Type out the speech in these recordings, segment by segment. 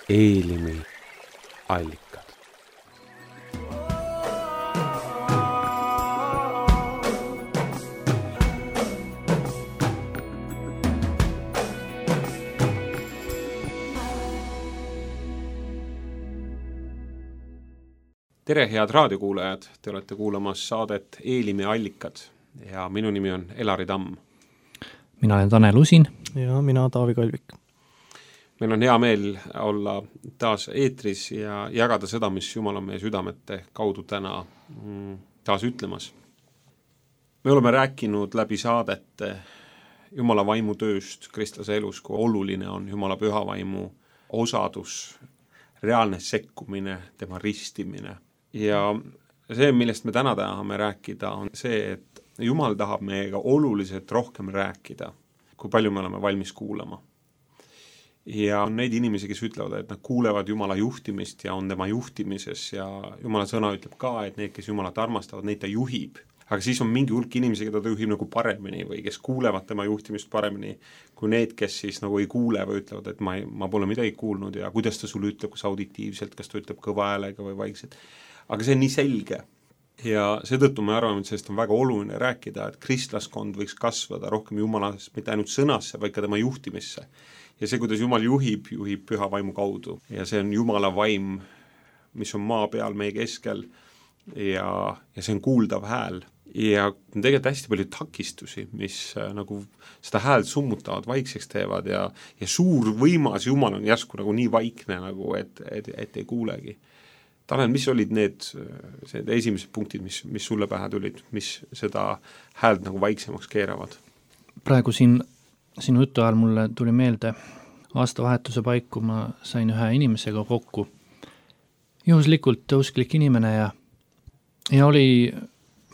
Eelimi allikad. Tere, head raadiokuulajad! Te olete kuulamas saadet Eelimi allikad ja minu nimi on Elari Tamm. Mina olen Tanel Usin. Ja mina Taavi Kalvik. Meil on hea meel olla taas eetris ja jagada seda, mis Jumal on meie südamete kaudu täna taas ütlemas. Me oleme rääkinud läbi saadete Jumala vaimu tööst kristlase elus, kui oluline on Jumala püha vaimu osadus, reaalne sekkumine, tema ristimine. Ja see, millest me täna tahame rääkida, on see, et Jumal tahab meiega oluliselt rohkem rääkida, kui palju me oleme valmis kuulama. Ja on neid inimesi, kes ütlevad, et nad kuulevad Jumala juhtimist ja on tema juhtimises ja Jumala sõna ütleb ka, et need, kes Jumalat armastavad, neid ta juhib. Aga siis on mingi hulk inimesi, keda ta juhib nagu paremini või kes kuulevad tema juhtimist paremini kui need, kes siis nagu ei kuule või ütlevad, et ma pole midagi kuulnud ja kuidas ta sulle ütleb, kas auditiivselt, kas ta ütleb kõva häälega või vaikselt. Aga see on nii selge ja seetõttu me arvame, et sellest on väga oluline rääkida, et kristlaskond võiks kasvada rohkem Jumalast, mitte ainult sõnasse, vaid ka tema juhtimisse. Ja see, kuidas Jumal juhib püha vaimu kaudu ja see on Jumala vaim, mis on maa peal meie keskel ja see on kuuldav hääl. Ja tegelikult hästi palju takistusi, mis nagu seda häält summutavad, vaikseks teevad ja suur võimas Jumal on järsku nagu nii vaikne, nagu, et ei kuulegi. Tanel, mis olid need esimesed punktid, mis sulle pähe tulid, mis seda häält nagu vaiksemaks keeravad? Praegu sinu jutu ajal mulle tuli meelde aastavahetuse paiku, ma sain ühe inimesega kokku. Juhuslikult usklik inimene ja oli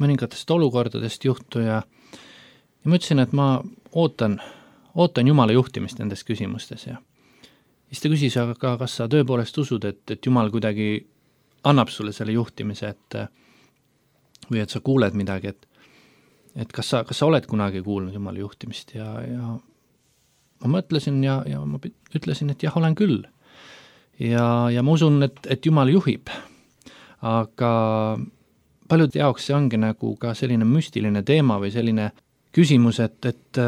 mõningatest olukordadest juhtu ja ma ütlesin, et ma ootan Jumala juhtimist nendes küsimustes ja siis ta küsis, aga kas sa tõepoolest usud, et Jumal kuidagi annab sulle selle juhtimise, või et sa kuuled midagi, et kas sa oled kunagi kuulnud Jumala juhtimist ja ma mõtlesin ja ma ütlesin, et jah, olen küll. Ja ma usun, et Jumal juhib, aga paljude jaoks see ongi nagu ka selline müstiline teema või selline küsimus, et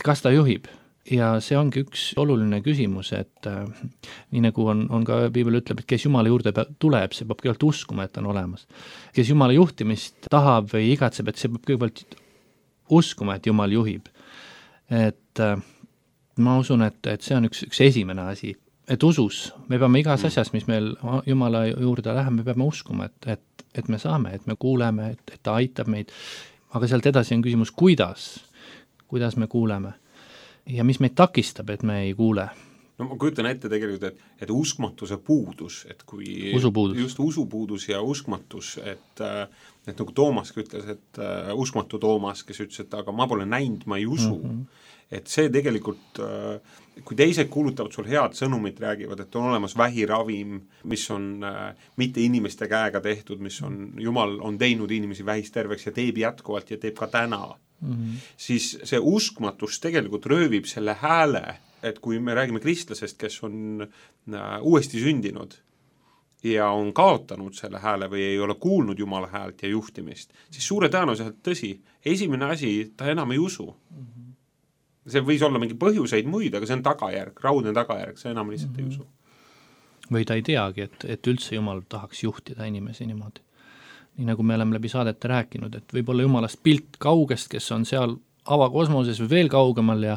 kas ta juhib. Ja see ongi üks oluline küsimus, et nii nagu on ka Piibel ütleb, et kes Jumala juurde tuleb, see peab kõigepealt uskuma, et ta on olemas. Kes Jumala juhtimist tahab või igatseb, et see peab kõigepealt uskuma, et Jumal juhib. Et ma usun, et see on üks esimene asi. Et usus, me peame igas asjas, mis meil Jumala juurde läheb, me peame uskuma, et me saame, et me kuuleme, et ta aitab meid. Aga sealt edasi on küsimus, kuidas me kuuleme. Ja mis meid takistab, et me ei kuule? No ma kujutan ette tegelikult, et uskmatuse puudus, et kui usupuudus. Just usupuudus ja uskmatus, et nagu Toomas ütles, et uskmatu Toomas, kes ütles, et aga ma pole näinud, ma ei usu. Et see tegelikult, kui teised kuulutavad sul head sõnumit, räägivad, et on olemas vähiravim, mis on mitte inimeste käega tehtud, mis on, Jumal on teinud inimesi vähist terveks ja teeb jätkuvalt ja teeb ka täna. Siis see uskmatus tegelikult röövib selle hääle, et kui me räägime kristlasest, kes on uuesti sündinud ja on kaotanud selle hääle või ei ole kuulnud Jumala häält ja juhtimist, siis suure tõenäoliselt tõsi, esimene asi, ta enam ei usu. See võis olla mingi põhjuseid muid, aga see on tagajärg, raudne tagajärg, see enam lihtsalt ei usu. Või ta ei teagi, et üldse Jumal tahaks juhtida inimesi niimoodi. Nii nagu me oleme läbi saadete rääkinud, et võib-olla Jumalast pilt kaugest, kes on seal avakosmoses või veel kaugemal ja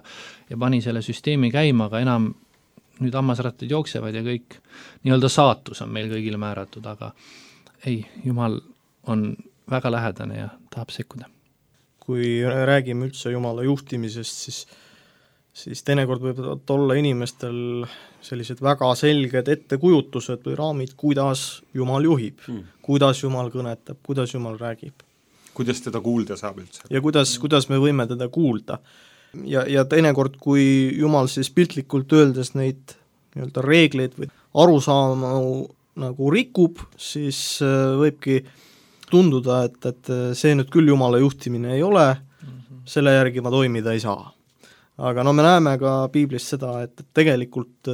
pani selle süsteemi käima, aga enam nüüd hammasrattad jooksevad ja kõik nii-öelda saatus on meil kõigile määratud, aga ei, Jumal on väga lähedane ja tahab sekkuda. Kui räägime üldse Jumala juhtimisest, siis teinekord võivad olla inimestel sellised väga selged ettekujutused või raamid, kuidas Jumal juhib, kuidas Jumal kõnetab, kuidas Jumal räägib. Kuidas teda kuulda saab üldse? Ja kuidas me võime teda kuulda. Ja teinekord, kui Jumal siis piltlikult öeldes neid nii-öelda reegleid või arusaama nagu rikub, siis võibki tunduda, et see nüüd küll Jumala juhtimine ei ole, selle järgi ma toimida ei saa. aga no me näeme ka piiblis seda, et tegelikult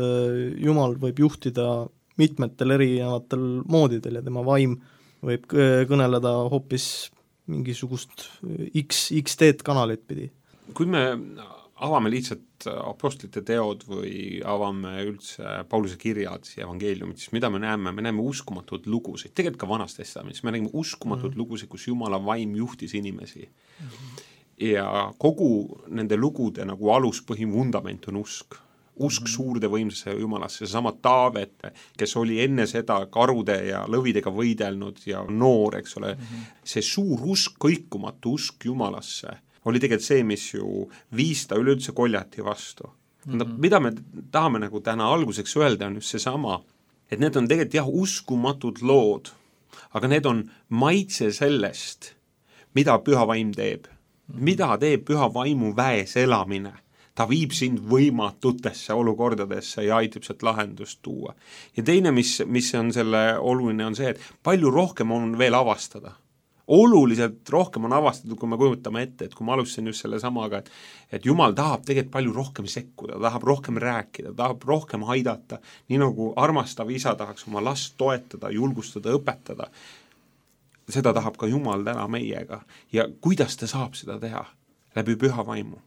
Jumal võib juhtida mitmetel erinevatel moodidel ja tema vaim võib kõneleda hoopis mingisugust X-teed kanalit pidi. Kui me avame lihtsalt apostlite teod või avame üldse Pauluse kirjad ja evangeeliumid, siis mida me näeme? Me näeme uskumatud lugusid, tegelikult ka Vanas Testamendis, me näeme uskumatud lugusid, kus Jumala vaim juhtis inimesi. Ja kogu nende lugude nagu aluspõhim vundament on usk. Usk suurde võimsasse Jumalasse, seesama Taavet, kes oli enne seda karude ja lõvidega võidelnud ja noor, eks ole, see suur usk, kõikumatu usk Jumalasse oli tegelikult see, mis ju viis ta üleüldse Goljati vastu. Mida me tahame nagu täna alguseks öelda on just seesama, et need on tegelikult jah, uskumatud lood, aga need on maitse sellest, mida püha vaim teeb. Mida teeb püha vaimu väes elamine? Ta viib sind võimatutesse olukordadesse ja aitab sealt lahendust tuua. Ja teine, mis on selle oluline, on see, et palju rohkem on veel avastada. Oluliselt rohkem on avastatud, kui me kujutame ette, et kui ma alustasin just selle samaga, et Jumal tahab tegelikult palju rohkem sekkuda, tahab rohkem rääkida, tahab rohkem aidata, nii nagu armastav isa tahaks oma last toetada, julgustada, õpetada. Seda tahab ka Jumal täna meiega. Ja kuidas ta saab seda teha? Läbi püha vaimu.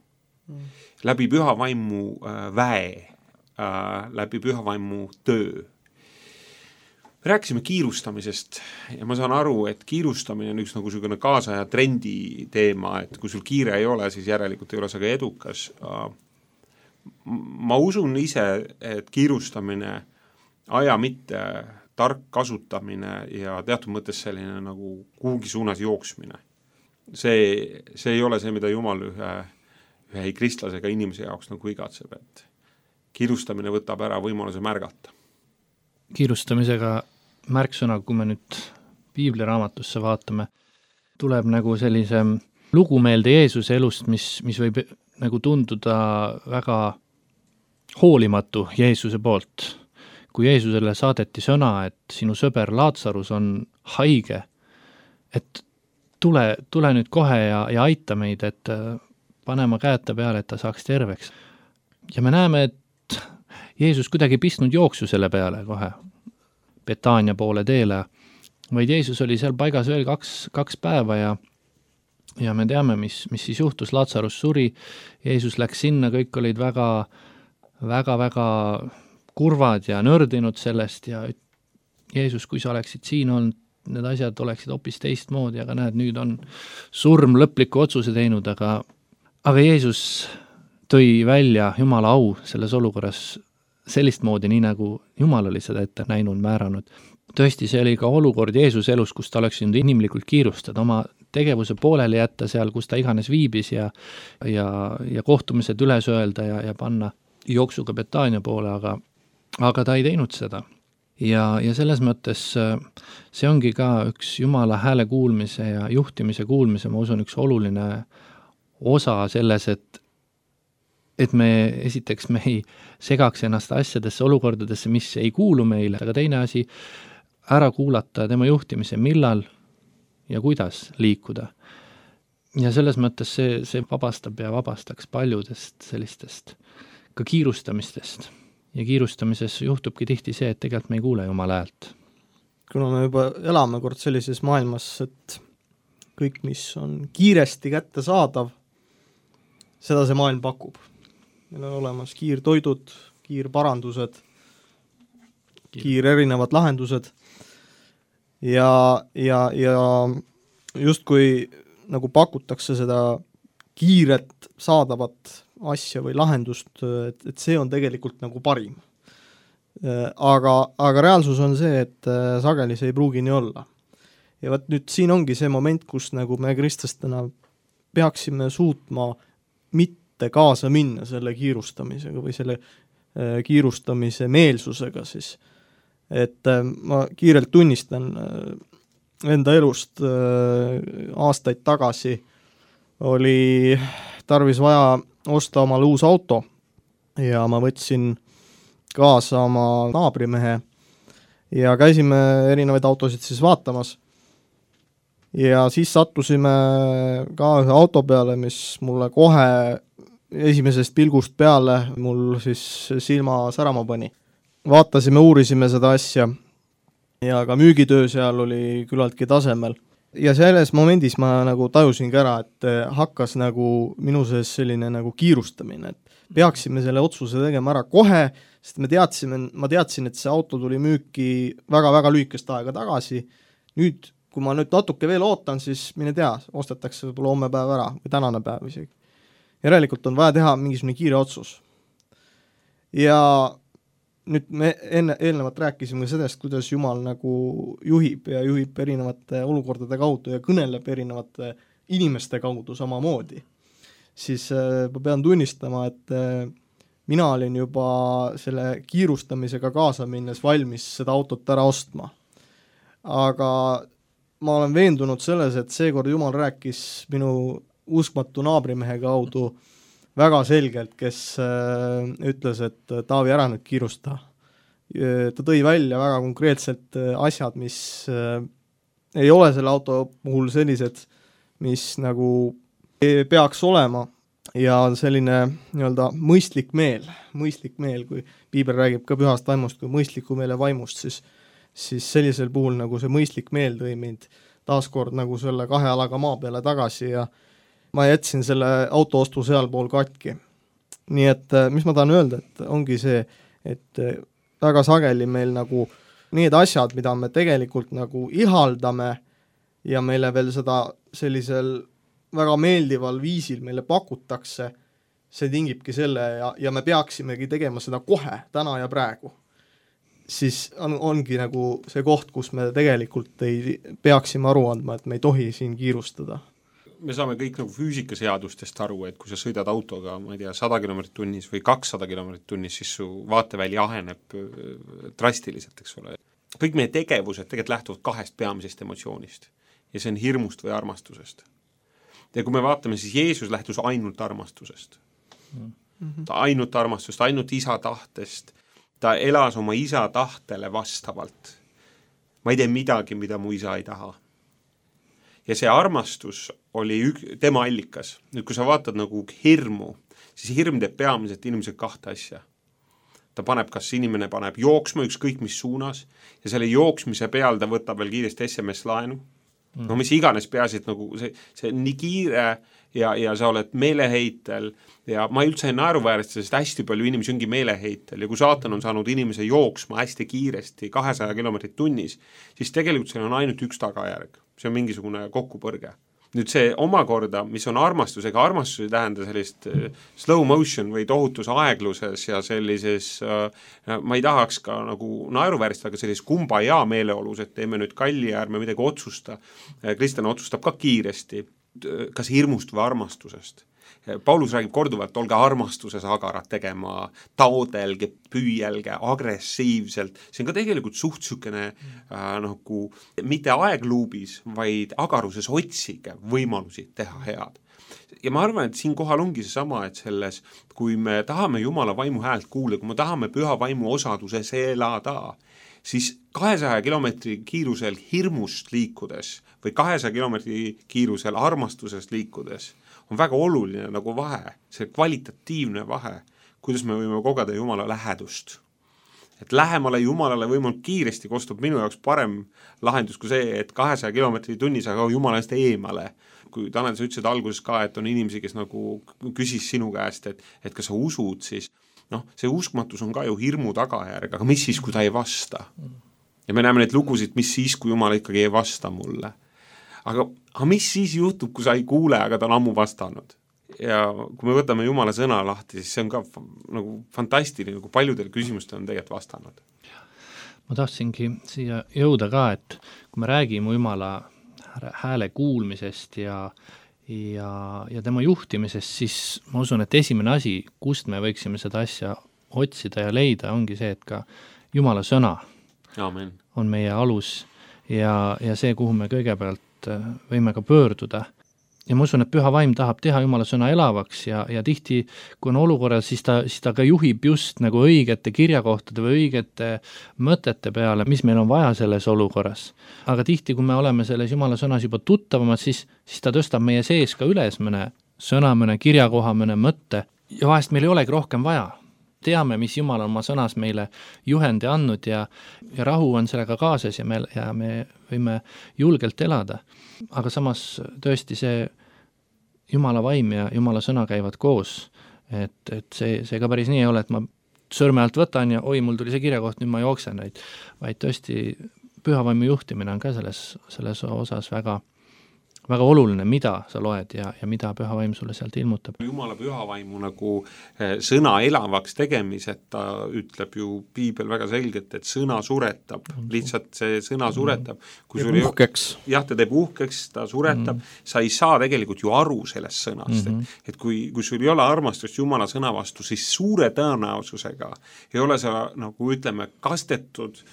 Läbi püha vaimu väe, läbi püha vaimu töö. Rääkisime kiirustamisest ja ma saan aru, et kiirustamine on üks nagu selline kaasaja trendi teema, et kui sul kiire ei ole, siis järelikult ei ole see ka edukas. Ma usun ise, et kiirustamine, aja mitte tark kasutamine ja teatud mõttes selline nagu kuhugi suunas jooksmine. See ei ole see, mida Jumal ühe kristlasega inimese jaoks nagu igatseb, et kiirustamine võtab ära võimaluse märgata. Kiirustamisega märksõna, kui me nüüd piibliraamatusse vaatame, tuleb nagu sellise lugumeelde Jeesuse elust, mis võib nagu tunduda väga hoolimatu Jeesuse poolt. Kui Jeesusele saadeti sõna, et sinu sõber Laatsarus on haige, et tule nüüd kohe ja aita meid, et panema käeta peale, et ta saaks terveks. Ja me näeme, et Jeesus kuidagi pistnud jooksu selle peale kohe Betaania poole teele, vaid Jeesus oli seal paigas veel kaks päeva ja me teame, mis siis juhtus, Laatsarus suri, Jeesus läks sinna, kõik olid väga kurvad ja nördinud sellest ja Jeesus, kui sa oleksid siin olnud, need asjad oleksid hoopis teistmoodi, aga näed, nüüd on surm lõpliku otsuse teinud, aga Jeesus tõi välja Jumala au selles olukorras sellist moodi, nii nagu Jumal oli seda ette näinud, määranud. Tõesti, see oli ka olukord Jeesuse elus, kus ta oleks nüüd inimlikult kiirustada, oma tegevuse pooleli jätta seal, kus ta iganes viibis ja kohtumised üles öelda ja panna jooksuga Betaania poole, aga ta ei teinud seda. Ja selles mõttes see ongi ka üks Jumala hääle kuulmise ja juhtimise kuulmise, ma usun, üks oluline osa selles, et me esiteks me ei segaks ennast asjadesse, olukordadesse, mis ei kuulu meile, aga teine asi, ära kuulata tema juhtimise, millal ja kuidas liikuda. Ja selles mõttes see vabastab ja vabastaks paljudest sellistest ka kiirustamistest. Ja kiirustamises juhtubki tihti see, et tegelikult me ei kuule Jumala häält. Kuna me juba elame kord sellises maailmas, et kõik, mis on kiiresti kätte saadav, seda see maailm pakub. Meil on olemas kiirtoidud, kiirparandused, erinevad lahendused ja justkui nagu pakutakse seda kiiret saadavat asja või lahendust, et see on tegelikult nagu parim. Aga reaalsus on see, et sageli see ei pruugi nii olla. Ja võt nüüd siin ongi see moment, kus nagu me kristlastena peaksime suutma mitte kaasa minna selle kiirustamisega või selle kiirustamise meelsusega siis. Et ma kiirelt tunnistan enda elust aastaid tagasi oli tarvis vaja osta omale uus auto ja ma võtsin kaasa oma naabrimehe ja käisime erinevaid autosid siis vaatamas. Ja siis sattusime ka ühe auto peale, mis mulle kohe esimesest pilgust peale mul siis silma särama pani. Vaatasime, uurisime seda asja ja ka müügitöö seal oli küllaltki tasemel. Ja selles momendis ma nagu tajusingi ära, et hakkas nagu minu sees selline nagu kiirustamine, et peaksime selle otsuse tegema ära kohe, sest ma teadsin, et see auto tuli müüki väga-väga lühikest aega tagasi. Nüüd, kui ma nüüd natuke veel ootan, siis mine tea, ostetakse võib-olla homme päev ära või tänane päev isegi. Järelikult on vaja teha mingisugune kiire otsus. Ja nüüd me eelnevalt rääkisime sellest, kuidas Jumal nagu juhib ja juhib erinevate olukordade kaudu ja kõneleb erinevate inimeste kaudu samamoodi. Siis ma pean tunnistama, et mina olin juba selle kiirustamisega kaasa minnes valmis seda autot ära ostma. Aga ma olen veendunud selles, et seekord Jumal rääkis minu uskmatu naabrimehe kaudu väga selgelt, kes ütles, et Taavi, ära nüüd kiirusta. Ta tõi välja väga konkreetselt asjad, mis ei ole selle auto puhul sellised, mis nagu peaks olema ja selline nii-öelda mõistlik meel, kui Piibel räägib ka pühast vaimust kui mõistliku meele vaimust, siis sellisel puhul nagu see mõistlik meel tõi mind taaskord nagu selle 2 jalaga maa peale tagasi ja ma jätsin selle auto ostu sealpool katki. Nii et mis ma tahan öelda, et ongi see, et väga sageli meil nagu need asjad, mida me tegelikult nagu ihaldame ja meile veel seda sellisel väga meeldival viisil meile pakutakse, see tingibki selle ja me peaksimegi tegema seda kohe, täna ja praegu. Siis ongi nagu see koht, kus me tegelikult ei peaksime aru andma, et me ei tohi siin kiirustada. Me saame kõik nagu füüsikaseadustest aru, et kui sa sõidad autoga, ma ei tea, 100 km tunnis või 200 km tunnis, siis su vaateväli aheneb drastiliselt, eks ole. Kõik meie tegevused tegelikult lähtuvad 2 peamisest emotsioonist ja see on hirmust või armastusest. Ja kui me vaatame, siis Jeesus lähtus ainult armastusest. Ta ainult armastusest, ainult isa tahtest. Ta elas oma isa tahtele vastavalt. Ma ei tee midagi, mida mu isa ei taha. Ja see armastus oli tema allikas. Nüüd, kui sa vaatad nagu hirmu, siis hirm teeb peamiselt inimesed 2 asja. Ta paneb, kas inimene paneb jooksma ükskõik mis suunas ja selle jooksmise peal ta võtab veel kiiresti SMS-laenu. No mis iganes peaasi, et nagu see on nii kiire ja sa oled meeleheitel ja ma üldse ei naeruväärista, sest hästi palju inimesi ongi meeleheitel ja kui saatan on saanud inimese jooksma hästi kiiresti 200 km tunnis, siis tegelikult seal on ainult üks tagajärg. See on mingisugune kokkupõrge. Nüüd see omakorda, mis on armastus, ega armastus ei tähenda sellist slow motion või tohutus aegluses ja sellises, ma ei tahaks ka nagu naeruvääristada, aga sellises kumbaya meeleolus, et teeme nüüd kalli ja ärme midagi otsusta. Kristjan otsustab ka kiiresti, kas hirmust või armastusest. Paulus räägib korduvalt, olge armastuses agarad tegema, taodelge, püüelge, agressiivselt. See on ka tegelikult suht sükene nagu mitte aegluubis, vaid agaruses otsige võimalusi teha head. Ja ma arvan, et siin kohal ongi see sama, et selles, kui me tahame Jumala vaimu häält kuulda, kui me tahame püha vaimu osaduses elada, siis 200 kilomeetri kiirusel hirmust liikudes või 200 kilomeetri kiirusel armastusest liikudes on väga oluline nagu vahe, see kvalitatiivne vahe, kuidas me võime kogeda Jumala lähedust. Et lähemale Jumalale võimalik kiiresti kostub minu jaoks parem lahendus kui see, et 200 kilomeetri tunnis aga Jumalast eemale. Kui Tanel, sa ütlesid alguses ka, et on inimesi, kes nagu küsis sinu käest, et kas sa usud, siis see uskmatus on ka ju hirmu tagajärg, aga mis siis, kui ta ei vasta? Ja me näeme neid lugusid, mis siis, kui Jumal ikkagi ei vasta mulle. Aga mis siis juhtub, kui sa ei kuule, aga ta on ammu vastanud? Ja kui me võtame Jumala sõna lahti, siis see on ka nagu fantastiline, kui paljudel küsimustel on tegelikult vastanud. Ma tahtsingi siia jõuda ka, et kui me räägime Jumala hääle kuulmisest ja tema juhtimisest, siis ma usun, et esimene asi, kust me võiksime seda asja otsida ja leida, ongi see, et ka Jumala sõna Amen. On meie alus ja see, kuhu me kõigepealt võime ka pöörduda. Ja ma usun, et püha vaim tahab teha Jumala sõna elavaks ja tihti, kui on olukorras, siis ta ka juhib just nagu õigete kirjakohtade või õigete mõtete peale, mis meil on vaja selles olukorras. Aga tihti, kui me oleme selles Jumala sõnas juba tuttavamad, siis ta tõstab meie sees ka üles mõne sõna, mõne kirjakoha, mõne mõtte ja vahest meil ei olegi rohkem vaja. Teame, mis Jumal on oma sõnas meile juhendi andnud ja rahu on sellega kaasas ja me võime julgelt elada. Aga samas tõesti see Jumala vaim ja Jumala sõna käivad koos, et see ka päris nii ei ole, et ma sõrme alt võtan ja oi, mul tuli see kirjakoht, nüüd ma jooksen, vaid tõesti pühavaimu juhtimine on ka selles osas väga oluline, mida sa loed ja mida pühavaim sulle sealt ilmutab. Jumala pühavaimu nagu sõna elavaks tegemised, ta ütleb ju piibel väga selgelt, et sõna suretab, lihtsalt see sõna suretab. Teeb uhkeks. Jah, ta teeb uhkeks, ta suretab, sa ei saa tegelikult ju aru sellest sõnast, et kui sul ei ole armastust Jumala sõna vastu, siis suure tõenäosusega ei ole sa, nagu ütleme, kastetud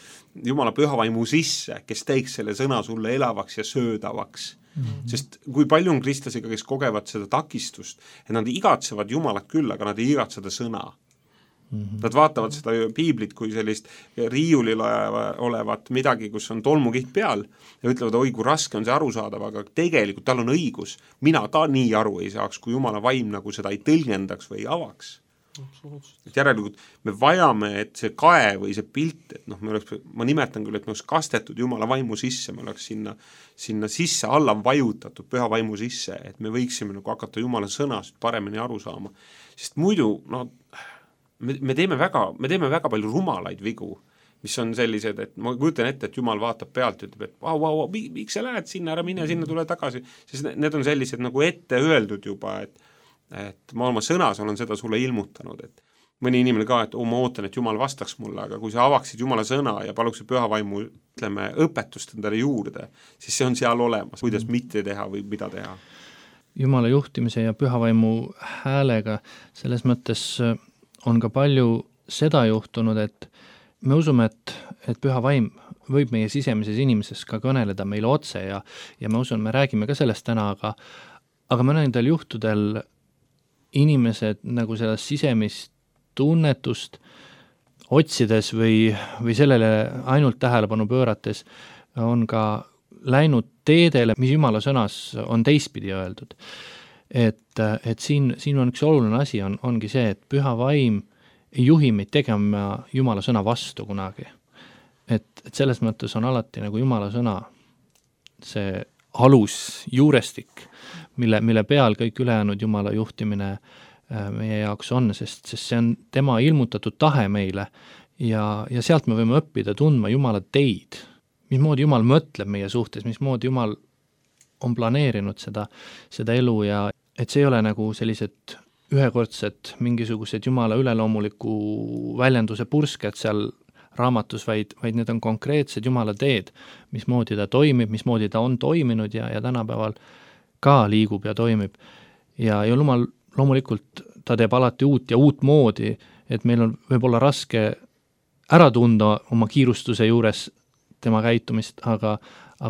Jumala pühavaimu sisse, kes teeks selle sõna sulle elavaks ja söödavaks. Sest kui palju on kristlasega, kes kogevad seda takistust, et nad igatsevad Jumalat küll, aga nad ei igatse seda sõna. Nad vaatavad seda piiblit kui sellist riiulil olevat midagi, kus on tolmukiht peal ja ütlevad, oi, kui raske on see arusaadav, aga tegelikult tal on õigus. Mina ka nii aru ei saaks, kui Jumala vaim nagu seda ei tõlgendaks või ei avaks. Et järelikult me vajame, et see kae või see pilt, et ma nimetan küll, et me oleks kastetud Jumala vaimu sisse, me oleks sinna sisse alla vajutatud püha vaimu sisse, et me võiksime nagu hakata Jumala sõnast paremini aru saama. Sest muidu me teeme väga palju rumalaid vigu, mis on sellised, et ma kujutan ette, et Jumal vaatab pealt ja ütleb, et miks sa lähed sinna, ära mine sinna, tule tagasi, sest need on sellised nagu ette öeldud juba, et ma oma sõnas olen seda sulle ilmutanud, et mõni inimene ka, et ma ootan, et Jumal vastaks mulle, aga kui sa avaksid Jumala sõna ja paluksid pühavaimu, ütleme, õpetust endale juurde, siis see on seal olemas, kuidas mitte teha või mida teha. Jumala juhtimise ja pühavaimu häälega selles mõttes on ka palju seda juhtunud, et me usume, et pühavaim võib meie sisemises inimeses ka kõneleda meile otse ja me usun, me räägime ka sellest täna, aga mõnedel juhtudel inimesed nagu sellest sisemist tunnetust otsides või sellele ainult tähelepanu pöörates on ka läinud teedele, mis Jumala sõnas on teistpidi öeldud. Et siin on üks oluline asi, ongi see, et püha vaim ei juhi meid tegema Jumala sõna vastu kunagi. Et selles mõttes on alati nagu Jumala sõna see alus, juurestik, mille peal kõik ülejäänud Jumala juhtimine meie jaoks on, sest see on tema ilmutatud tahe meile ja sealt me võime õppida tundma Jumala teid, mismoodi Jumal mõtleb meie suhtes, mismoodi Jumal on planeerinud seda elu ja et see ei ole nagu sellised ühekordsed mingisugused Jumala üleloomuliku väljenduse pursked seal raamatus, vaid need on konkreetsed Jumala teed, mismoodi ta toimib, mismoodi ta on toiminud ja tänapäeval ka liigub ja toimib. Ja Jumal loomulikult ta teeb alati uut ja uut moodi, et meil on võib-olla raske ära tunda oma kiirustuse juures tema käitumist, aga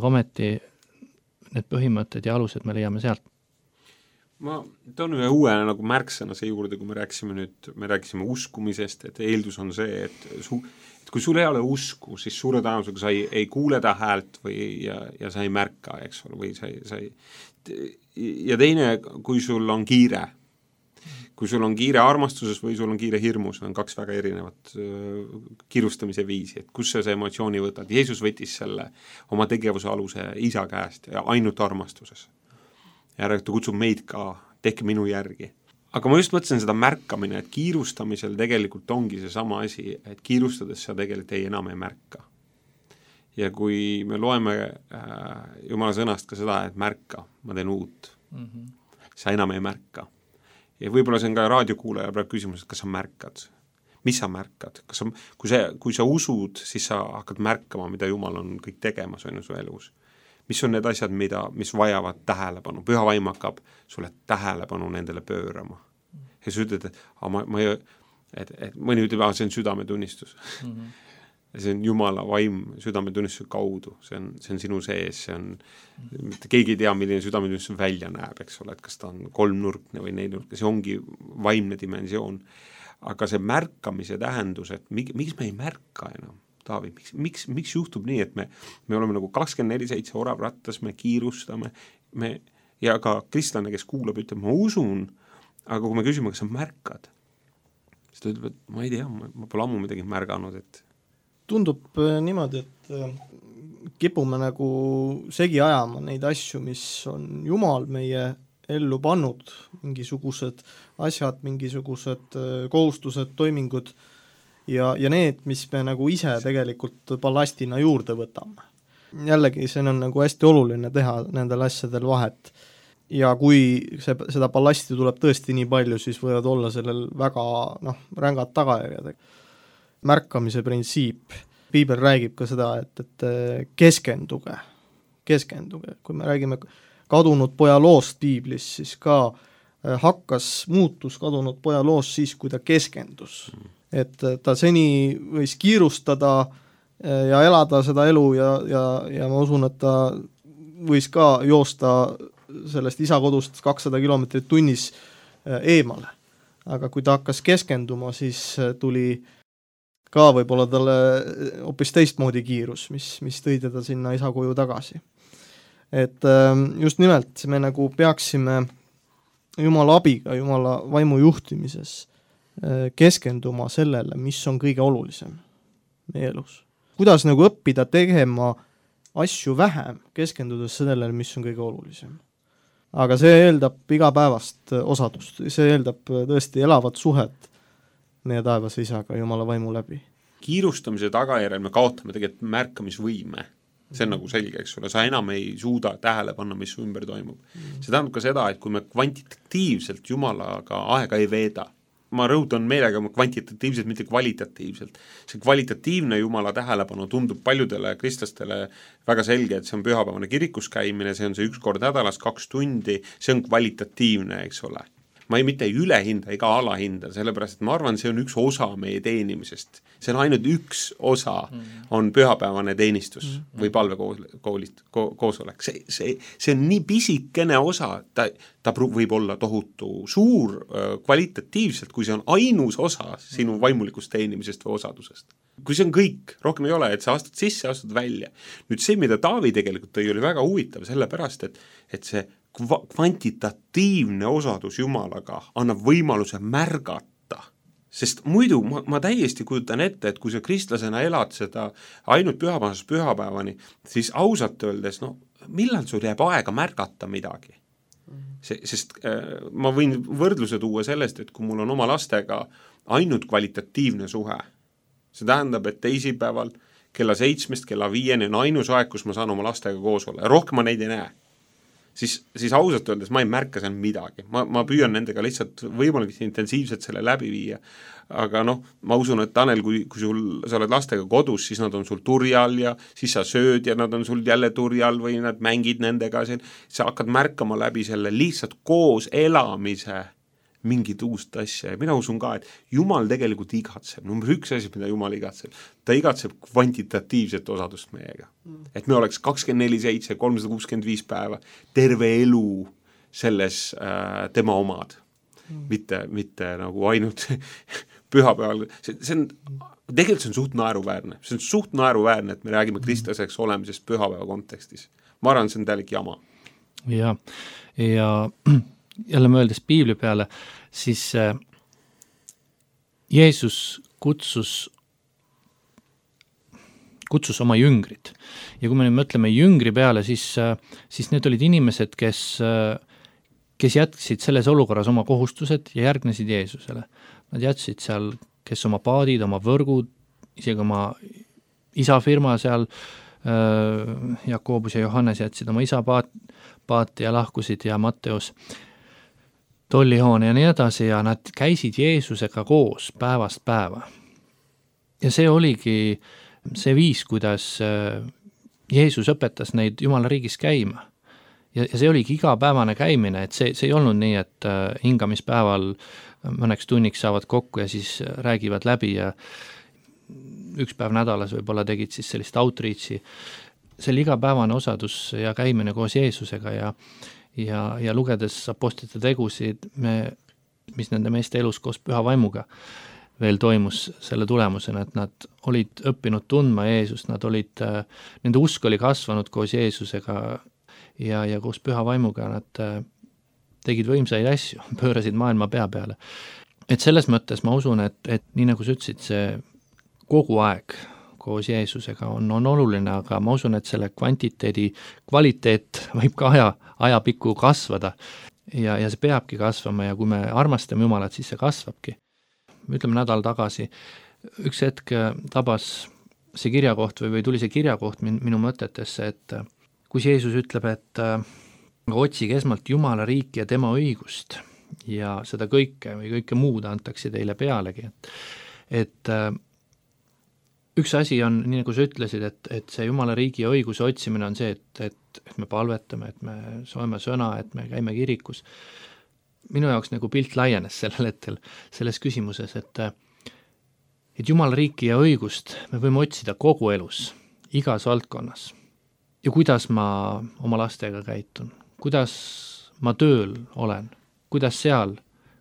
ometi need põhimõtted ja alused me leiame sealt. Ma toon ühe uue nagu märksõna see juurde, kui me rääkisime uskumisest, et eeldus on see, et kui sul ei ole usku, siis suure tõenäosusega sa ei kuule ta häält ja sa ei märka, eks ole, või sa ei ja teine, kui sul on kiire. Kui sul on kiire armastuses või sul on kiire hirmus, on kaks väga erinevat kiirustamise viisi, et kus sa see emotsiooni võtad. Jeesus võttis selle oma tegevuse aluse isa käest ja ainult armastuses. Ja ta kutsub meid ka, tehke minu järgi. Aga ma just mõtlesin seda märkamine, et kiirustamisel tegelikult ongi see sama asi, et kiirustades sa tegelikult enam ei märka. Ja kui me loeme Jumala sõnast ka seda, et märka, ma teen uut, sa enam ei märka. Ja võib-olla see on ka raadiokuulaja praegu küsimus, et kas sa märkad? Mis sa märkad? Kui sa usud, siis sa hakkad märkama, mida Jumal on kõik tegemas on su elus. Mis on need asjad, mis vajavad tähelepanu? Püha vaim hakkab sulle tähelepanu nendele pöörama. Ja sa ütled, et mõni ütleb, see on südametunnistus. See on Jumala vaim südametunnistuse kaudu, see on sinu sees, keegi ei tea, milline südametunnistus välja näeb, eks ole, et kas ta on kolmnurkne või neljnurkne, see ongi vaimne dimensioon. Aga see märkamise tähendus, et miks me ei märka enam, Taavi, miks juhtub nii, et me oleme nagu 24/7 oravrattas, me kiirustame, ja ka kristlane, kes kuulab, ütleb, ma usun, aga kui me küsime, kas sa märkad, siis ta ütleb, et ma ei tea, ma pole ammu midagi märganud, et tundub niimoodi, et kipume nagu segi ajama neid asju, mis on Jumal meie ellu pannud, mingisugused asjad, mingisugused kohustused, toimingud ja need, mis me nagu ise tegelikult ballastina juurde võtame. Jällegi, see on nagu hästi oluline teha nendel asjadel vahet. Ja kui seda ballasti tuleb tõesti nii palju, siis võivad olla sellel väga rängad tagajärjed. Märkamise printsiip. Piibel räägib ka seda, et keskenduge. Kui me räägime kadunud poja loost Piiblis, siis ka muutus kadunud poja loost siis, kui ta keskendus. Et ta seni võis kiirustada ja elada seda elu ja ma usun, et ta võis ka joosta sellest isa kodust 200 kilomeetrit tunnis eemale. Aga kui ta hakkas keskenduma, siis tuli ka võib-olla talle hoopis teistmoodi kiirus, mis tõi teda sinna isa koju tagasi. Et just nimelt me nagu peaksime Jumala abiga, Jumala vaimu juhtimises keskenduma sellele, mis on kõige olulisem meie elus. Kuidas nagu õppida tegema asju vähem, keskendudes sellele, mis on kõige olulisem. Aga see eeldab igapäevast osadust, see eeldab tõesti elavat suhet meie taevase isaga Jumala vaimu läbi. Kiirustamise tagajärjel me kaotame tegelikult märkamisvõime. See on nagu selge, eks ole, sa enam ei suuda tähele panna, mis ümber toimub. See tähendab ka seda, et kui me kvantitatiivselt Jumalaga aega ei veeda, ma rõhutan meelega kvantitatiivselt, mitte kvalitatiivselt. See kvalitatiivne Jumala tähelepanu tundub paljudele kristlastele väga selge, et see on pühapäevane kirikus käimine, see on see 1 kord nädalas 2 tundi, see on kvalitatiivne, eks ole. Ma mitte ei ülehinda ega alahinda, sellepärast, et ma arvan, see on üks osa meie teenimisest. See on ainult üks osa, on pühapäevane teenistus või palvekoosolek. See on nii pisikene osa, ta võib olla tohutu suur kvalitatiivselt, kui see on ainus osa sinu vaimulikust teenimisest või osadusest. Kui see on kõik, rohkem ei ole, et sa astud sisse, astud välja. Nüüd see, mida Taavi tegelikult tõi, oli väga huvitav, sellepärast, et see kvantitatiivne osadus Jumalaga annab võimaluse märgata. Sest muidu ma täiesti kujutan ette, et kui sa kristlasena elad seda ainult pühapäevani, siis ausalt öeldes, millal sul jääb aega märgata midagi? Sest ma võin võrdluse tuua sellest, et kui mul on oma lastega ainult kvalitatiivne suhe, see tähendab, et teisipäeval kella 7 kella 5 on ainus aeg, kus ma saan oma lastega koos olla ja rohkem ma neid ei näe. Siis ausalt öeldes ma ei märka seal midagi. Ma püüan nendega lihtsalt võimalik intensiivselt selle läbi viia. Aga ma usun, et Tanel, kui sa oled lastega kodus, siis nad on sul turjal ja siis sa sööd ja nad on sul jälle turjal või nad mängid nendega. Sa hakkad märkama läbi selle lihtsalt koos elamise mingit uust asja ja mina usun ka, et Jumal tegelikult igatseb, number 1 asi, mida Jumal igatseb, ta igatseb kvantitatiivset osadust meiega. Et me oleks 24/7, 365 päeva, terve elu selles tema omad, mitte nagu ainult pühapäeval. See on, tegelikult see on suht naeruväärne, et me räägime kristlaseks olemisest pühapäeva kontekstis. Ma arvan, see on täielik jama. Ja jälle mõeldes Piibli peale, siis Jeesus kutsus oma jüngrid. Ja kui me nüüd mõtleme jüngri peale, siis need olid inimesed, kes jätsid selles olukorras oma kohustused ja järgnesid Jeesusele. Nad jätsid seal, kes oma paadid, oma võrgud, isegi oma isa firma seal, Jakobus ja Johannes jätsid oma isa paati ja lahkusid ja Matteus tollihoone ja nii edasi ja nad käisid Jeesusega koos päevast päeva. Ja see oligi see viis, kuidas Jeesus õpetas neid Jumala riigis käima. Ja see oligi igapäevane käimine, et see ei olnud nii, et hingamispäeval mõneks tunniks saavad kokku ja siis räägivad läbi ja 1 päev nädalas võib-olla tegid siis sellist outreachi. See oli igapäevane osadus ja käimine koos Jeesusega ja lugedes apostlite tegusid, mis nende meeste elus koos püha vaimuga veel toimus selle tulemusena, et nad olid õppinud tundma Jeesust, nende usk oli kasvanud koos Jeesusega ja koos püha vaimuga nad tegid võimsaid asju, pöörasid maailma pea peale. Et selles mõttes ma usun, et nii nagu sa ütlesid, see kogu aeg koos Jeesusega on oluline, aga ma usun, et selle kvantiteedi kvaliteet võib ka ajapikku kasvada ja see peabki kasvama ja kui me armastame Jumalat, siis see kasvabki. Ütleme nädal tagasi, üks hetk tabas see kirjakoht või tuli see kirjakoht minu mõtetesse, et kus Jeesus ütleb, et otsige esmalt Jumala riiki ja tema õigust ja seda kõike või kõike muud antakse teile pealegi, et üks asi on, nii nagu sa ütlesid, et see Jumala riigi ja õiguse otsimine on see, et me palvetame, et me soeme sõna, et me käime kirikus. Minu jaoks nagu pilt laienes sellel hetkel selles küsimuses, et Jumala riiki ja õigust me võime otsida kogu elus, igas valdkonnas. Ja kuidas ma oma lastega käitun, kuidas ma tööl olen, kuidas seal,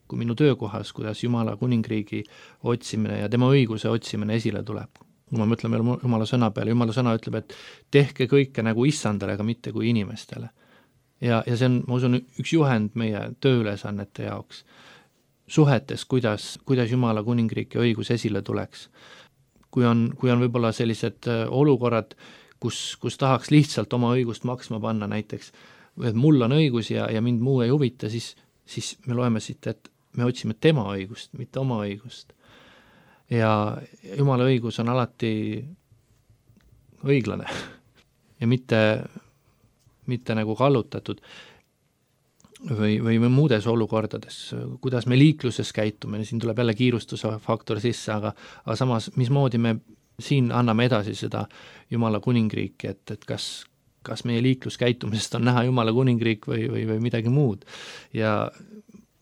kui minu töökohas, kuidas Jumala kuningriigi otsimine ja tema õiguse otsimine esile tuleb. Kui me mõtleme Jumala sõna peale, Jumala sõna ütleb, et tehke kõike nagu issandale, aga mitte kui inimestele. Ja see on, ma usun, üks juhend meie tööülesannete jaoks. Suhetes, kuidas Jumala kuningriik ja õigus esile tuleks. Kui on võib-olla sellised olukorrad, kus tahaks lihtsalt oma õigust maksma panna näiteks, et mul on õigus ja mind muu ei huvita, siis me loeme siit, et me otsime tema õigust, mitte oma õigust. Ja Jumala õigus on alati õiglane ja mitte nagu kallutatud või muudes olukordades, kuidas me liikluses käitume, siin tuleb jälle kiirustuse faktor sisse, aga samas, mismoodi me siin anname edasi seda Jumala kuningriiki, et kas meie liikluskäitumisest on näha Jumala kuningriik või midagi muud. Ja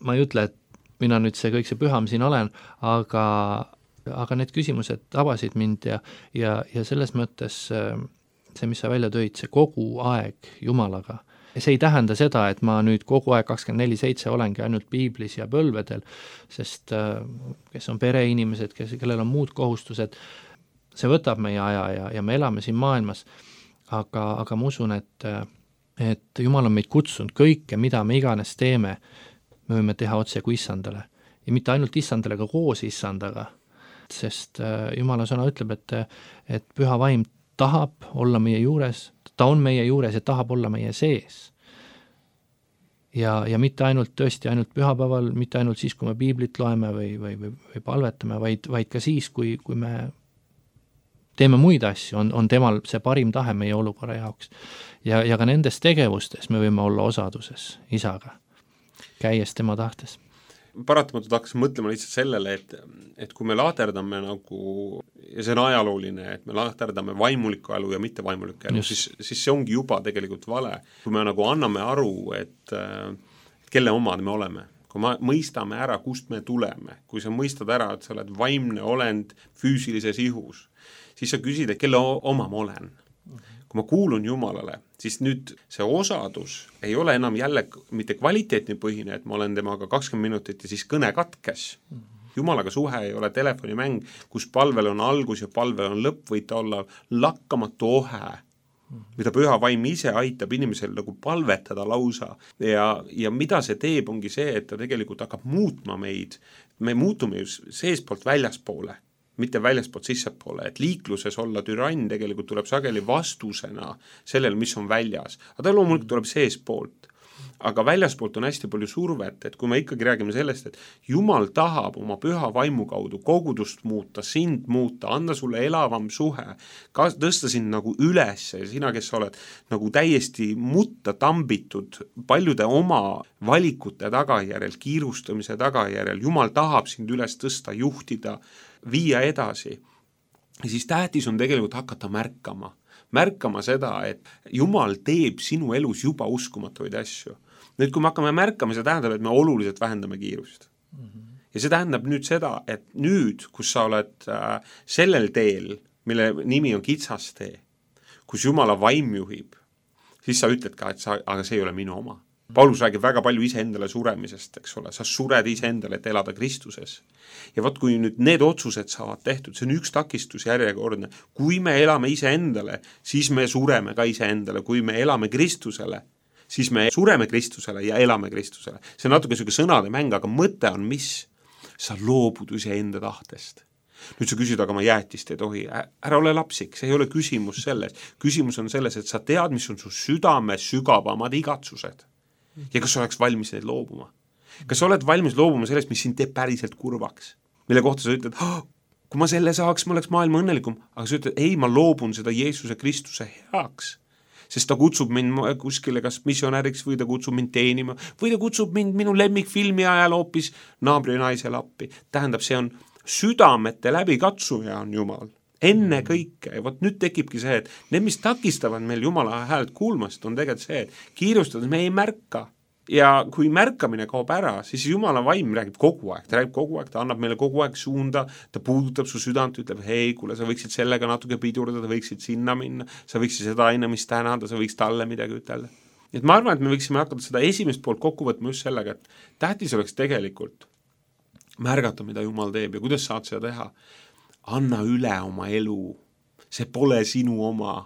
ma ei ütle, et mina nüüd see kõik see püham siin olen, aga need küsimused tabasid mind ja selles mõttes see, mis sa välja tõid, see kogu aeg Jumalaga. Ja see ei tähenda seda, et ma nüüd kogu aeg 24/7 olengi ainult piiblis ja põlvedel, sest kes on pereinimesed, kellel on muud kohustused, see võtab meie aja ja me elame siin maailmas, aga ma usun, et Jumal on meid kutsunud kõike, mida me iganes teeme, me võime teha otse kui issandale. Ja mitte ainult issandale, aga koos issandaga, sest Jumala sõna ütleb, et püha vaim tahab olla meie juures, ta on meie juures ja tahab olla meie sees. Ja mitte ainult tõesti ainult pühapäeval, mitte ainult siis, kui me piiblit loeme või palvetame, vaid ka siis, kui me teeme muid asju, on temal see parim tahe meie olukorra jaoks. Ja ka nendes tegevustes me võime olla osaduses isaga, käies tema tahtes. Paratamatult hakkas mõtlema lihtsalt sellele, et kui me lahterdame nagu, ja see on ajalooline, et me lahterdame vaimuliku elu ja mitte vaimuliku elu, siis see ongi juba tegelikult vale. Kui me nagu anname aru, et kelle omad me oleme, kui me mõistame ära, kust me tuleme, kui sa mõistad ära, et sa oled vaimne olend füüsilises ihus, siis sa küsid, et kelle oma ma olen. Kui ma kuulun Jumalale, siis nüüd see osadus ei ole enam jälle mitte kvaliteetni põhine, et ma olen temaga 20 minutit ja siis kõne katkes. Jumalaga suhe ei ole telefonimäng, kus palvel on algus ja palvel on lõpp, võid ta olla lakkamatu ohe, mida püha vaim ise aitab inimesel nagu palvetada lausa. Ja mida see teeb, ongi see, et ta tegelikult hakkab muutma meid. Me muutume ju seespoolt väljaspoole, mitte väljaspoolt sissepoole, et liikluses olla türann tegelikult tuleb sageli vastusena sellele, mis on väljas. Aga ta loomulikult tuleb seespoolt. Aga väljaspoolt on hästi palju survet, et kui me ikkagi räägime sellest, et Jumal tahab oma püha vaimu kaudu kogudust muuta, sind muuta, anda sulle elavam suhe, tõsta sind nagu üles ja sina, kes oled nagu täiesti mutta tambitud paljude oma valikute tagajärjel, kiirustamise tagajärjel, Jumal tahab sind üles tõsta, juhtida, viia edasi, siis tähtis on tegelikult hakata märkama seda, et Jumal teeb sinu elus juba uskumatuid asju. Nüüd, kui me hakkame märkama, see tähendab, et me oluliselt vähendame kiirust. Ja see tähendab nüüd seda, et nüüd, kus sa oled sellel teel, mille nimi on kitsas tee, kus Jumala vaim juhib, siis sa ütled ka, et aga see ei ole minu oma. Paulus räägib väga palju iseendale suremisest, eks ole, sa sured iseendale, et elada Kristuses. Ja võt, kui nüüd need otsused saavad tehtud, see on üks takistus järjekordne. Kui me elame iseendale, siis me sureme ka iseendale. Kui me elame Kristusele, siis me sureme Kristusele ja elame Kristusele. See on natuke selline sõnade mäng, aga mõte on mis? Sa loobud iseenda tahtest. Nüüd sa küsid, aga ma jäätist ei tohi. Ära ole lapsik, see ei ole küsimus selles. Küsimus on selles, et sa tead, mis on su südame sügavamad igatsused. Ja kas sa oleks valmis neid loobuma? Kas sa oled valmis loobuma sellest, mis sind teeb päriselt kurvaks? Mille kohta sa ütled, kui ma selle saaks, ma oleks maailma õnnelikum. Aga sa ütled, ei, ma loobun seda Jeesuse Kristuse heaks. Sest ta kutsub mind kuskile kas missionäriks või ta kutsub mind teenima või ta kutsub mind minu lemmikfilmi ajal hoopis naabri naisele appi. Tähendab, see on südamete läbikatsuja on Jumal. Enne kõike. Ja võt nüüd tekibki see, et need, mis takistavad meil Jumala häält kuulmast, on tegelikult see, et kiirustades me ei märka. Ja kui märkamine kaob ära, siis Jumala vaim räägib kogu aeg, ta annab meile kogu aeg suunda, ta puudutab su südant, ütleb, hei, kuule, sa võiksid sellega natuke pidurdada, võiksid sinna minna, sa võiksid seda ainamist tänada, sa võiksid talle midagi ütelda. Et ma arvan, et me võiksime hakata seda esimest poolt kokku võtma just sellega, et tähtis oleks tegelikult märgata, mida Jumal teeb ja kuidas saad seda teha. Anna üle oma elu, see pole sinu oma.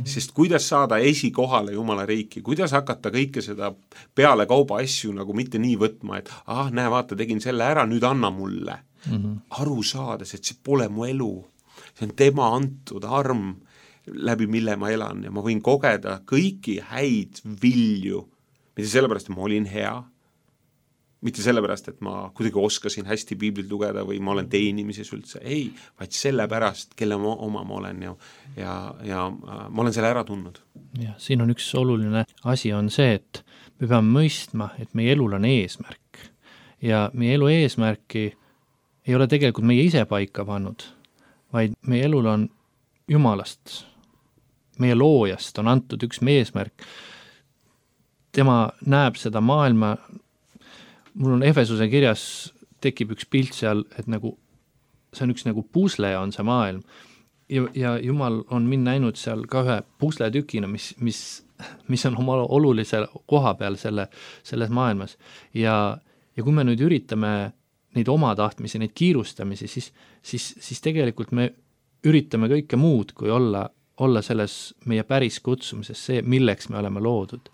Sest kuidas saada esikohale Jumala riiki, kuidas hakata kõike seda peale kauba asju nagu mitte nii võtma, et näe, vaata, tegin selle ära, nüüd anna mulle. Aru saades, et see pole mu elu, see on tema antud arm, läbi mille ma elan ja ma võin kogeda kõiki häid vilju, mitte sellepärast, et ma olin hea, mitte sellepärast, et ma kuidagi oskasin hästi piiblit lugeda või ma olen teenimises üldse, ei, vaid sellepärast, kelle oma ma olen ja ma olen selle ära tundnud. Ja, siin on üks oluline asi on see, et me peame mõistma, et meie elul on eesmärk ja meie elu eesmärki ei ole tegelikult meie ise paika pannud, vaid meie elul on Jumalast, meie loojast on antud üks eesmärk. Tema näeb seda maailma. Mul on Efesuse kirjas tekib üks pilt seal, et nagu, see on üks nagu pusle on see maailm ja Jumal on mind näinud seal ka ühe pusletükina, mis on oma olulise koha peal selles maailmas ja kui me nüüd üritame neid oma tahtmisi, neid kiirustamisi, siis tegelikult me üritame kõike muud, kui olla selles meie päris kutsumises, see, milleks me oleme loodud.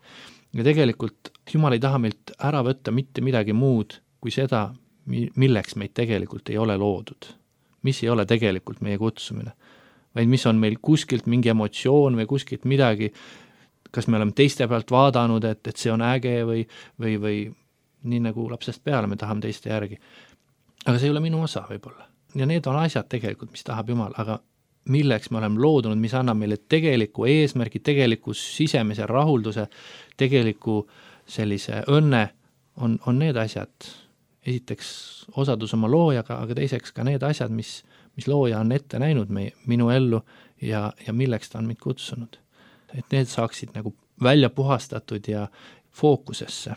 Ja tegelikult Jumal ei taha meilt ära võtta mitte midagi muud kui seda, milleks meid tegelikult ei ole loodud. Mis ei ole tegelikult meie kutsumine, vaid mis on meil kuskilt mingi emotsioon või kuskilt midagi, kas me oleme teiste pealt vaadanud, et see on äge või nii nagu lapsest peale me tahame teiste järgi. Aga see ei ole minu osa võib-olla. Ja need on asjad tegelikult, mis tahab Jumal, aga milleks me oleme loodunud, mis annab meile tegeliku eesmärgi, tegeliku sisemise rahulduse, tegeliku sellise õnne on need asjad. Esiteks osadus oma loojaga, aga teiseks ka need asjad, mis looja on ette näinud minu ellu ja milleks ta on meid kutsunud. Et need saaksid nagu välja puhastatud ja fookusesse.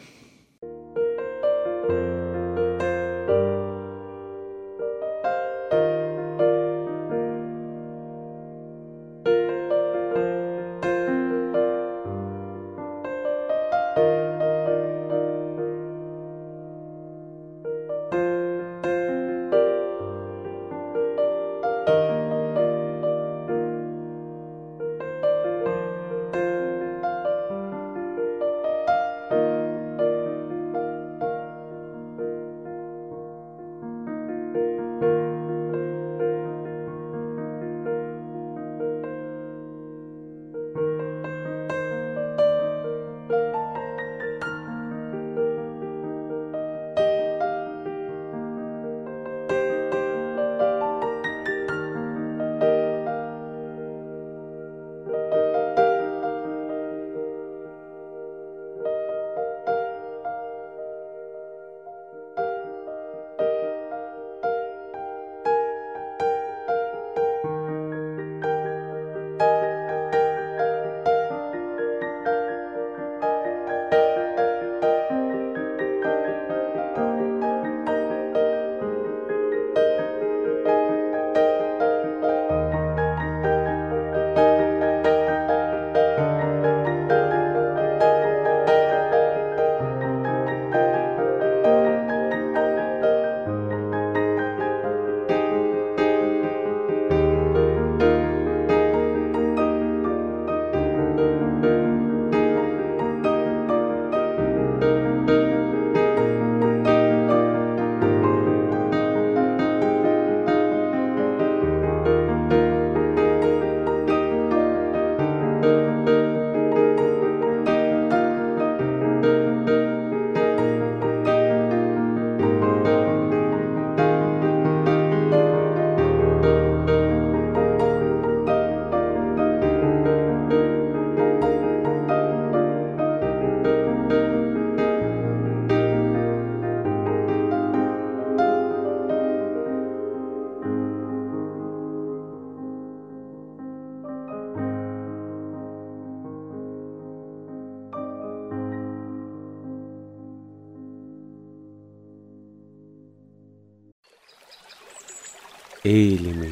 Eelimi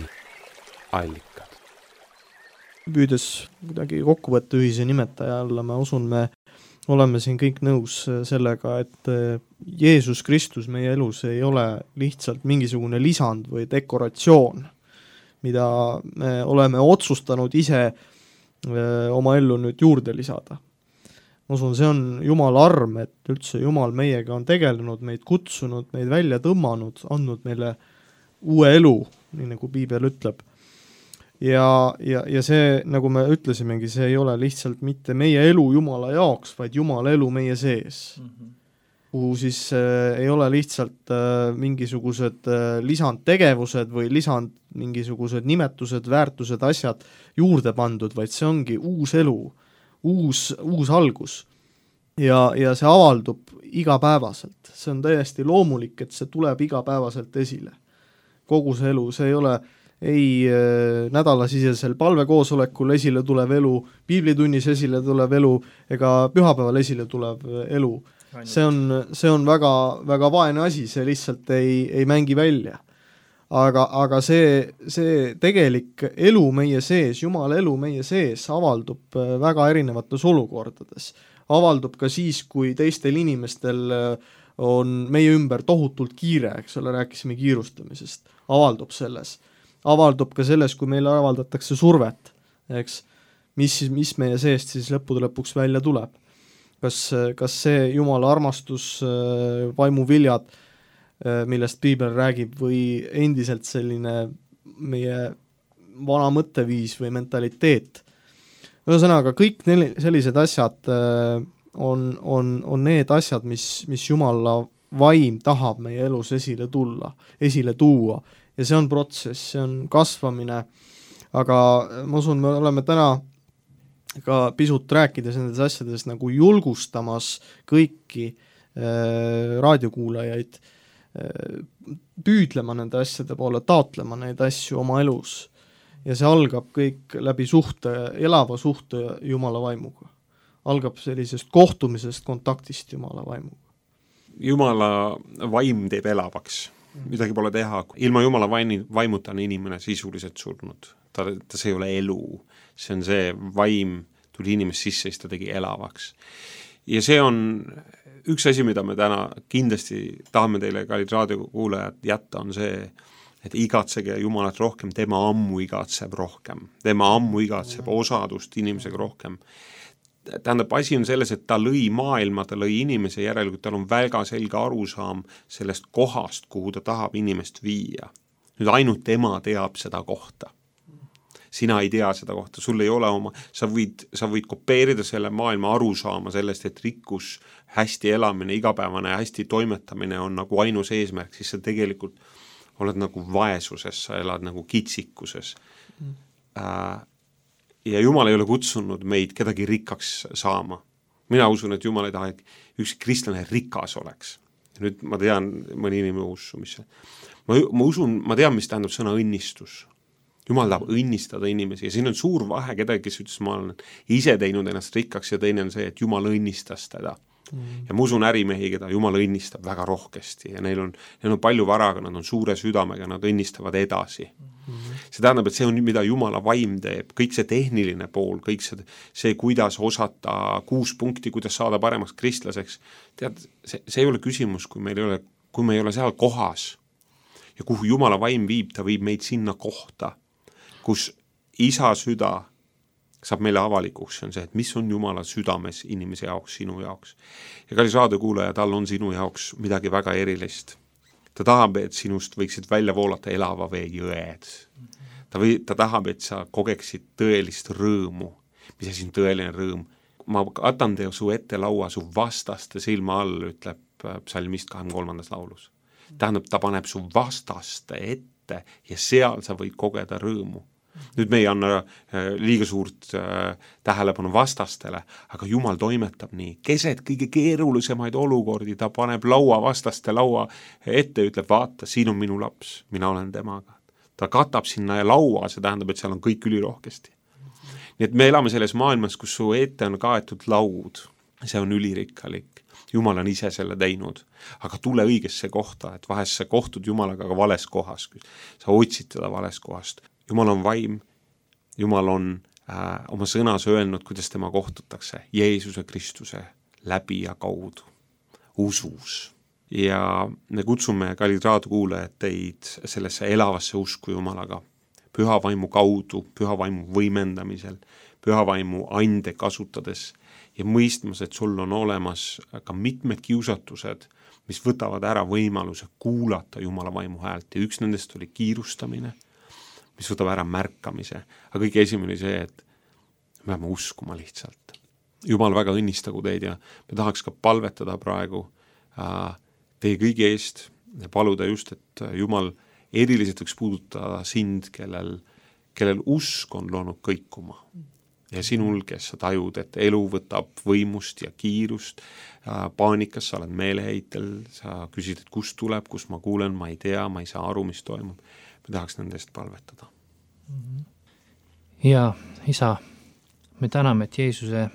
allikad. Püüdes kuidagi kokku võtta ühise nimetaja alla, ma usun, me oleme siin kõik nõus sellega, et Jeesus Kristus meie elus ei ole lihtsalt mingisugune lisand või dekoratsioon, mida me oleme otsustanud ise oma ellu nüüd juurde lisada. Ma usun, see on Jumala arm, et üldse Jumal meiega on tegelenud, meid kutsunud, meid välja tõmmanud, andnud meile uue elu, nii nagu Piibel ütleb. Ja see, nagu me ütlesimegi, see ei ole lihtsalt mitte meie elu Jumala jaoks, vaid Jumala elu meie sees. Kuhu siis ei ole lihtsalt mingisugused lisandtegevused või mingisugused nimetused, väärtused, asjad juurde pandud, vaid see ongi uus elu, uus algus. Ja see avaldub igapäevaselt. See on täiesti loomulik, et see tuleb igapäevaselt esile. Kogu see elu, see ei ole ei nädalasisesel palvekoosolekul esile tulev elu, piiblitunnis esile tulev elu ega pühapäeval esile tulev elu. See on väga, väga vaene asi, see lihtsalt ei mängi välja. Aga see tegelik elu meie sees, Jumala elu meie sees avaldub väga erinevates olukordades. Avaldub ka siis, kui teistel inimestel on meie ümber tohutult kiire, eks ole, rääkisime kiirustamisest, avaldub selles. Avaldub ka selles, kui meile avaldatakse survet, eks, mis meie seest siis lõpuks välja tuleb. Kas see Jumala armastus, vaimuviljad, millest Piibel räägib, või endiselt selline meie vana mõtteviis või mentaliteet. Ühesõnaga, kõik sellised asjad on need asjad, mis Jumala vaim tahab meie elus esile tuua. Ja see on protsess, see on kasvamine, aga ma usun, me oleme täna ka pisut rääkides nendes asjades nagu julgustamas kõiki raadiokuulajaid püüdlema nende asjade poole, taotlema neid asju oma elus. Ja see algab kõik läbi elava suhte Jumala vaimuga. Algab sellisest kohtumisest, kontaktist Jumala vaimuga. Jumala vaim teeb elavaks. Midagi pole teha. Ilma Jumala vaimuta on inimene sisuliselt surnud. Ta see ei ole elu. See on see vaim, tuli inimest sisse, siis ta tegi elavaks. Ja see on üks asi, mida me täna kindlasti tahame teile, kallid raadiokuulajad, jätta, on see, et igatsege Jumalat rohkem, tema ammu igatseb rohkem. Tema ammu igatseb osadust inimesega rohkem. Tähendab, asi on selles, et ta lõi maailma, ta lõi inimese järelikult, tal on väga selge arusaam sellest kohast, kuhu ta tahab inimest viia. Nüüd ainult tema teab seda kohta. Sina ei tea seda kohta, sul ei ole sa võid kopeerida selle maailma arusaama sellest, et rikkus, hästi elamine, igapäevane ja hästi toimetamine on nagu ainus eesmärk, siis sa tegelikult oled nagu vaesuses, sa elad nagu kitsikuses. Ja Jumal ei ole kutsunud meid kedagi rikkaks saama. Mina usun, et Jumal ei taha, et üks kristlane rikas oleks. Nüüd ma tean, mõni inimene usu, mis see. Ma tean, mis tähendab sõna õnnistus. Jumal tahab õnnistada inimesi ja siin on suur vahe kedagi, kes ütles, ma olen ise teinud ennast rikkaks ja teine on see, et Jumal õnnistas teda. Ja ma usun ärimehi, keda Jumal õnnistab väga rohkesti ja neil on palju varaga, nad on suure südamega, nad õnnistavad edasi. See tähendab, et see on, mida Jumala vaim teeb, kõik see tehniline pool, kõik see kuidas osata 6 punkti, kuidas saada paremaks kristlaseks. Tead, see ei ole küsimus, kui me ei ole seal kohas ja kuhu Jumala vaim viib, ta viib meid sinna kohta, kus isa süda saab meile avalikuks, see on see, et mis on Jumala südames inimese jaoks, sinu jaoks. Ja kallis raadiokuulaja, tal on sinu jaoks midagi väga erilist. Ta tahab, et sinust võiksid välja voolata elava vee jõed. Ta tahab, et sa kogeksid tõelist rõõmu. Mis asi on tõeline rõõm? Ma katan te su ette laua su vastaste silma all, ütleb psalmist 23. laulus. Tähendab, ta paneb su vastaste ette ja seal sa võid kogeda rõõmu. Nüüd me ei anna liiga suurt tähelepanu vastastele, aga Jumal toimetab nii. Keset kõige keerulisemaid olukordi, ta paneb vastaste laua ette, ütleb, vaata, siin on minu laps, mina olen temaga. Ta katab sinna laua, see tähendab, et seal on kõik ülirohkesti. Nii et me elame selles maailmas, kus su ette on kaetud laud. see on ülirikkalik. Jumal on ise selle teinud, aga tule õigesse kohta, et vahest sa kohtud Jumalaga ka vales kohas, sa otsid teda vales kohast. Jumal on vaim, Jumal on oma sõnas öelnud, kuidas tema kohtutakse Jeesuse Kristuse läbi ja kaudu, usus. Ja me kutsume, kallid raadiokuulajad, teid sellesse elavasse usku Jumalaga, püha vaimu kaudu, püha vaimu võimendamisel, püha vaimu ande kasutades ja mõistmas, et sul on olemas ka mitmed kiusatused, mis võtavad ära võimaluse kuulata Jumala vaimu häält ja üks nendest oli kiirustamine, mis võtab ära märkamise, aga kõige esimene oli see, et me peame uskuma lihtsalt. Jumal väga õnnistagu teid ja me tahaks ka palvetada praegu teie kõigi eest ja paluda just, et Jumal eriliselt võiks puudutada sind, kellel usk on loonud kõikuma. Ja sinul, kes sa tajud, et elu võtab võimust ja kiirust, paanikas sa oled meeleheitel, sa küsid, et kust tuleb, kus ma kuulen, ma ei tea, ma ei saa aru, mis toimub. Me tahaks nendest palvetada. Ja isa, me täname, et Jeesuse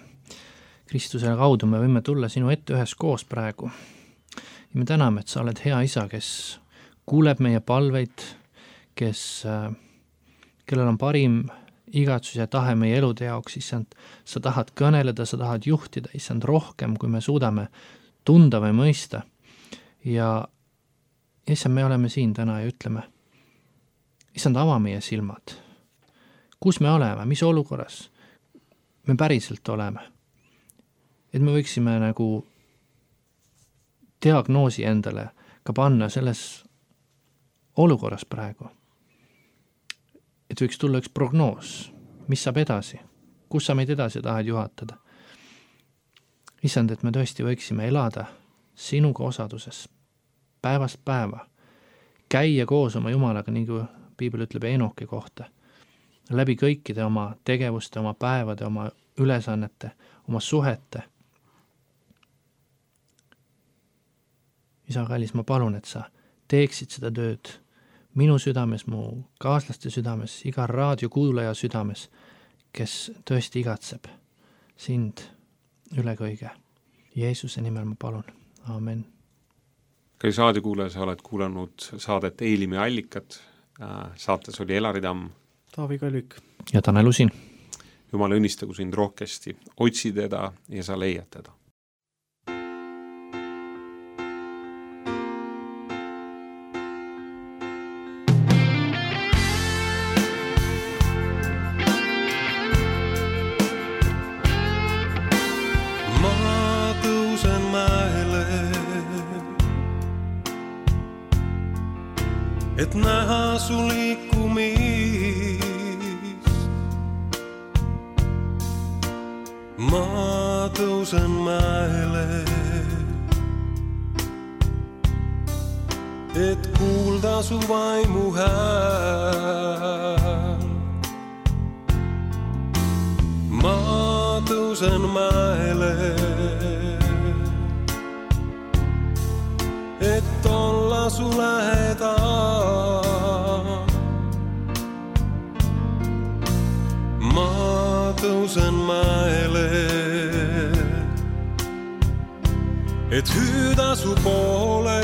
Kristusele kaudu me võime tulla sinu ette ühes koos praegu. Ja me täname, et sa oled hea isa, kes kuuleb meie palveid, kellel on parim igatsus ja tahe meie elude jaoks, issand, sa tahad kõneleda, sa tahad juhtida, issand, rohkem, kui me suudame tunda või mõista. Ja issand, me oleme siin täna ja ütleme, issand, ava meie silmad. Kus me oleme, mis olukorras me päriselt oleme? Et me võiksime nagu diagnoosi endale ka panna selles olukorras praegu. Et võiks tulla üks prognoos, mis saab edasi, kus sa meid edasi tahad juhatada. Issand, et me tõesti võiksime elada sinuga osaduses, päevast päeva, käia koos oma Jumalaga, nii kui Piibel ütleb Enoki kohta, läbi kõikide oma tegevuste, oma päevade, oma ülesannete, oma suhete. Isa kallis, ma palun, et sa teeksid seda tööd minu südames, mu kaaslaste südames, iga raadiokuulaja südames, kes tõesti igatseb sind üle kõige. Jeesuse nimel ma palun. Amen. Kallis raadiokuulaja, sa oled kuulanud saadet Eelimi allikad. Saates oli Elari Tamm, Taavi Kalvik ja Tanel Usin. Jumal õnnistagu sind rohkesti, otsi teda ja sa leiad teda. Et näha su liikumist. Ma tõusen mäele, et kuulda su vaimu hääl. Ma tõusen mäele, et olla su lähedal. Ma tõusen mäele, et hüüda su poole.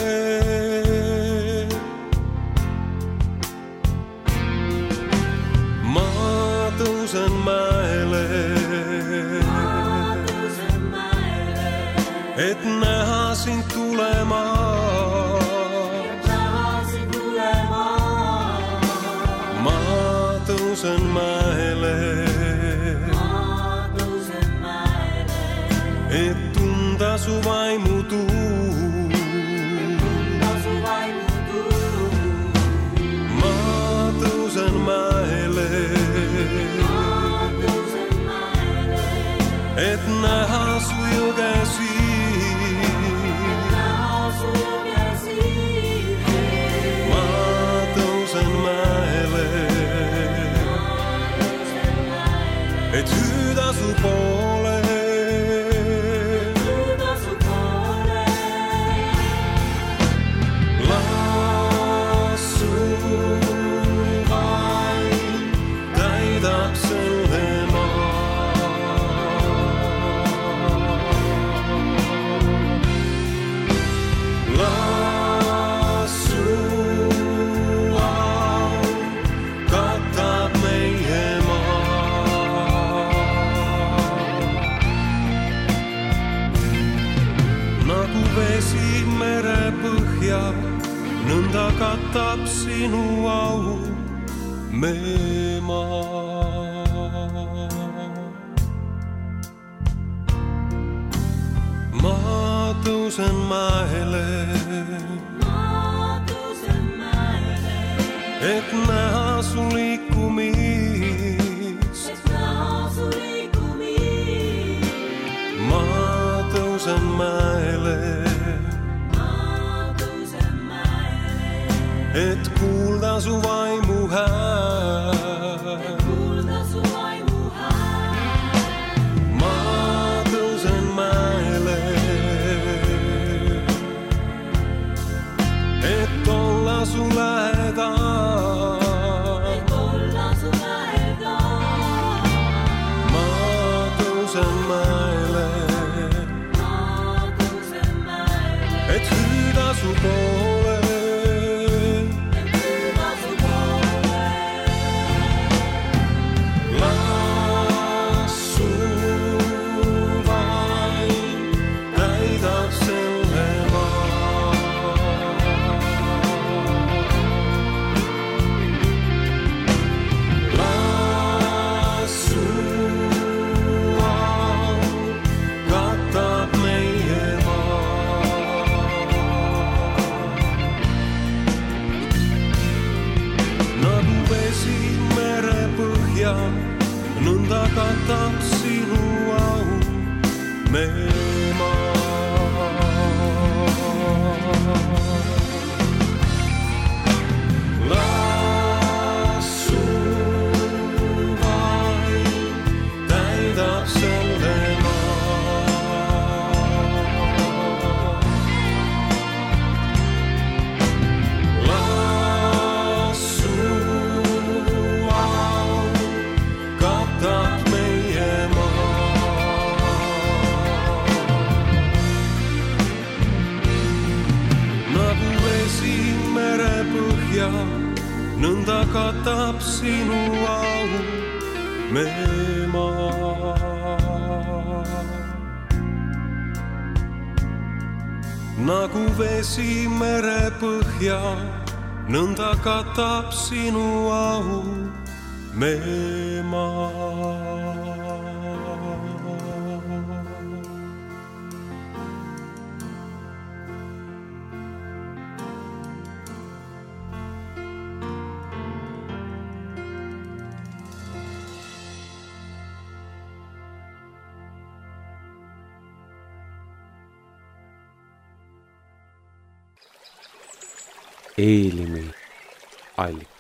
Ma tõusen mäele, et näha sind tulema. Ma tõusen mäele, et tunda su vaimu tuul. Ma tõusen mäele, et näha su jõgesi. Ma tõusen mäele, et hüüda su poole. Las su vaim täidab selle maa. sinu au meemaa. Ma tõusen mäele, et näha su liikumist. Ma tõusen mäele, et kuulda su vaimu hääl. Ma tõusen mäele, et olla su lähedal. Ma tõusen mäele, et hüüda su poole. Nõnda katab sinu au meemaa. Las su vaim täidab selle maa. Las su nõnda katab sinu au meemaa. Nagu vesi merepõhja, nõnda katab sinu au meemaa. Eelimi allik.